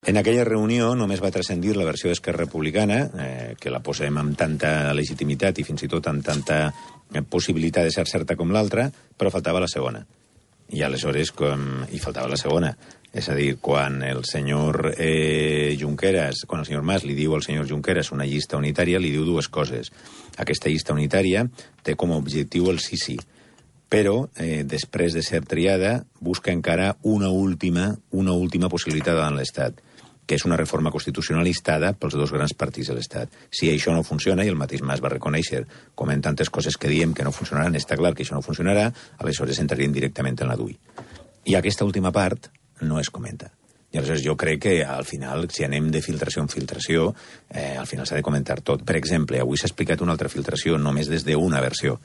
En aquella reunió només va transcendir la versió d'Esquerra Republicana, que la posem amb tanta legitimitat i fins i tot amb tanta possibilitat de ser certa com l'altra, però faltava la segona. I aleshores, i faltava la segona. És a dir, quan el senyor Junqueras, quan el senyor Mas li diu al senyor Junqueras una llista unitària, li diu dues coses. Aquesta llista unitària té com a objectiu el sí, però després de ser triada busca encara una última possibilitat davant l'Estat, que és una reforma constitucional instada pels dos grans partits de l'Estat. Si això no funciona, i el mateix Mas va reconèixer, com en tantes coses que diem que no funcionaran, està clar que això no funcionarà, aleshores entraríem directament en la DUI. I aquesta última part no es comenta. I aleshores jo crec que al final, si anem de filtració en filtració, al final s'ha de comentar tot. Per exemple, avui s'ha explicat una altra filtració només des d'una versió,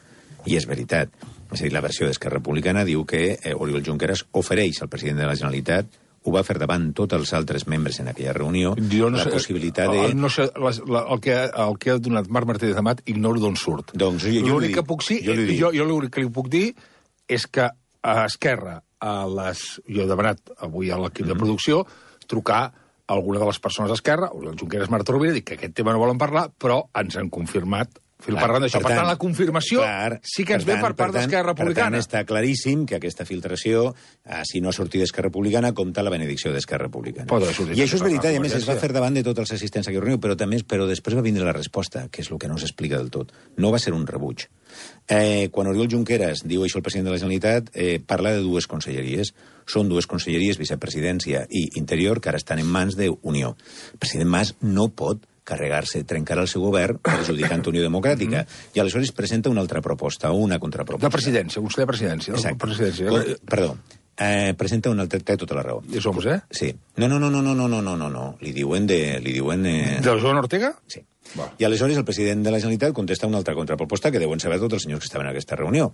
i és veritat. És a dir, la versió d'Esquerra Republicana diu que Oriol Junqueras ofereix al president de la Generalitat, ho va fer davant tots els altres membres en aquella reunió, la possibilitat de... No sé, el que ha donat Marc Martínez Amat ignoro d'on surt. Doncs l'únic que li puc dir és que a Esquerra, jo he demanat avui a l'equip de producció trucar a alguna de les persones d'Esquerra, el Junqueras, Marta Rovira, dic que aquest tema no volen parlar, però ens han confirmat parlant d'això. Per tant, la confirmació sí que ens ve per part d'Esquerra Republicana. Per tant, està claríssim que aquesta filtració, si no ha sortit d'Esquerra Republicana, compta la benedicció d'Esquerra Republicana. I això és veritat, i a més es va fer davant de tots els assistents a aquella reunió, però després va vindre la resposta, que és el que no s'explica del tot. No va ser un rebuig. Quan Oriol Junqueras diu això al president de la Generalitat, parla de dues conselleries. Són dues conselleries, vicepresidència i interior, que ara estan en mans d'Unió. El president Mas no pot carregar-se, trencar el seu govern perjudicant Unió Democràtica. I aleshores presenta una altra proposta, una contraproposta. De presidència, vostè de presidència. Exacte. Perdó. Presenta una altra... Té tota la raó. I som, Sí. No. Li diuen de... De Joan Ortega? Sí. I aleshores el president de la Generalitat contesta una altra contraproposta que deuen saber tots els senyors que estaven en aquesta reunió.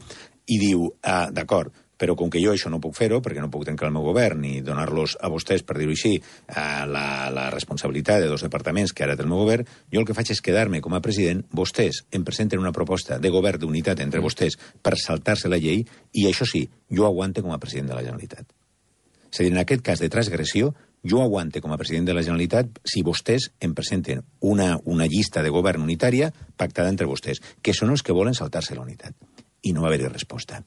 I diu, d'acord, però com que jo això no puc fer-ho, perquè no puc trencar el meu govern ni donar-los a vostès, per dir-ho així, la responsabilitat de dos departaments que ara té el meu govern, jo el que faig és quedar-me com a president, vostès em presenten una proposta de govern d'unitat entre vostès per saltar-se la llei, i això sí, jo aguante com a president de la Generalitat. És a dir, en aquest cas de transgressió, jo aguante com a president de la Generalitat si vostès em presenten una llista de govern unitària pactada entre vostès, que són els que volen saltar-se la unitat. I no va haver-hi resposta.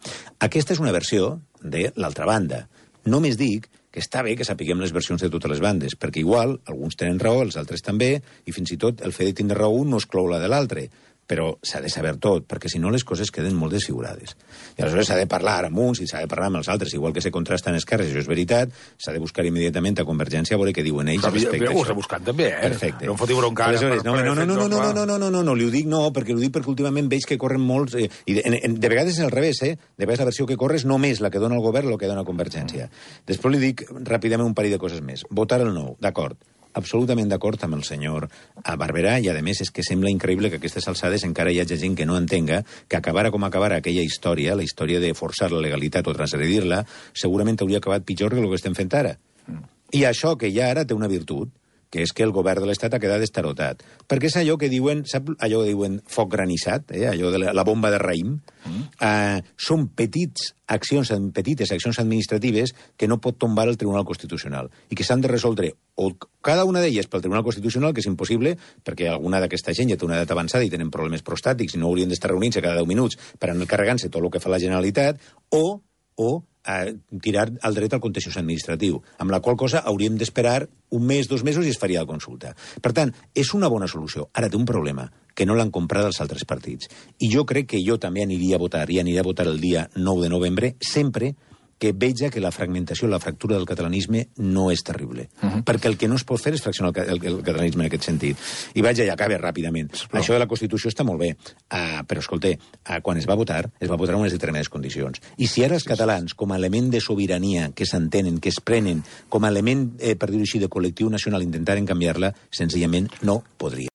Aquesta és una versió de l'altra banda. Només dic que està bé que sapiguem les versions de totes les bandes, perquè igual alguns tenen raó, els altres també, i fins i tot el fet de tindre raó un no exclou la de l'altre. Però s'ha de saber tot, perquè si no les coses queden molt desfigurades. I aleshores s'ha de parlar amb uns i s'ha de parlar amb els altres, igual que se contrasten esquerres, això és veritat, s'ha de buscar immediatament a Convergència a veure què diuen ells respecte a això. Ho s'ha buscat també, Perfecte. No em fotiu bronca. Aleshores, no, li ho dic perquè últimament veig que corren molts... I de vegades és al revés, De vegades la versió que corre és només la que dona el govern o la que dona Convergència. Després li dic ràpidament un parell de coses més. Votar el no, d'acord. Absolutament d'acord amb el senyor Barberà, i a més és que sembla increïble que a aquestes alçades encara hi hagi gent que no entenga que acabara com acabara aquella història, la història de forçar la legalitat o transgredir-la, segurament hauria acabat pitjor que el que estem fent ara. I això que ja ara té una virtut, que és que el govern de l'Estat ha quedat estarotat. Perquè és allò que diuen, sap allò que diuen foc granissat, allò de la bomba de raïm? Són petites accions administratives que no pot tombar el Tribunal Constitucional i que s'han de resoldre o cada una d'elles pel Tribunal Constitucional, que és impossible, perquè alguna d'aquesta gent ja té una edat avançada i tenen problemes prostàtics i no haurien d'estar reunint-se cada 10 minuts per anar carregant-se tot el que fa la Generalitat, o tirar al dret al contenciós administratiu, amb la qual cosa hauríem d'esperar un mes, 2 mesos i es faria la consulta. Per tant, és una bona solució. Ara té un problema, que no l'han comprat els altres partits. I jo crec que jo també aniria a votar, i aniré a votar el dia 9 de novembre, sempre que veja que la fragmentació, la fractura del catalanisme no és terrible. Perquè el que no es pot fer és fraccionar el catalanisme en aquest sentit. I vaig allà, acabe ràpidament. Això de la Constitució està molt bé, però escolta, quan es va votar en unes determinades condicions. I si ara els catalans, com a element de sobirania que s'entenen, que es prenen, com a element, per dir-ho així, de col·lectiu nacional, intentaren canviar-la, senzillament no podria.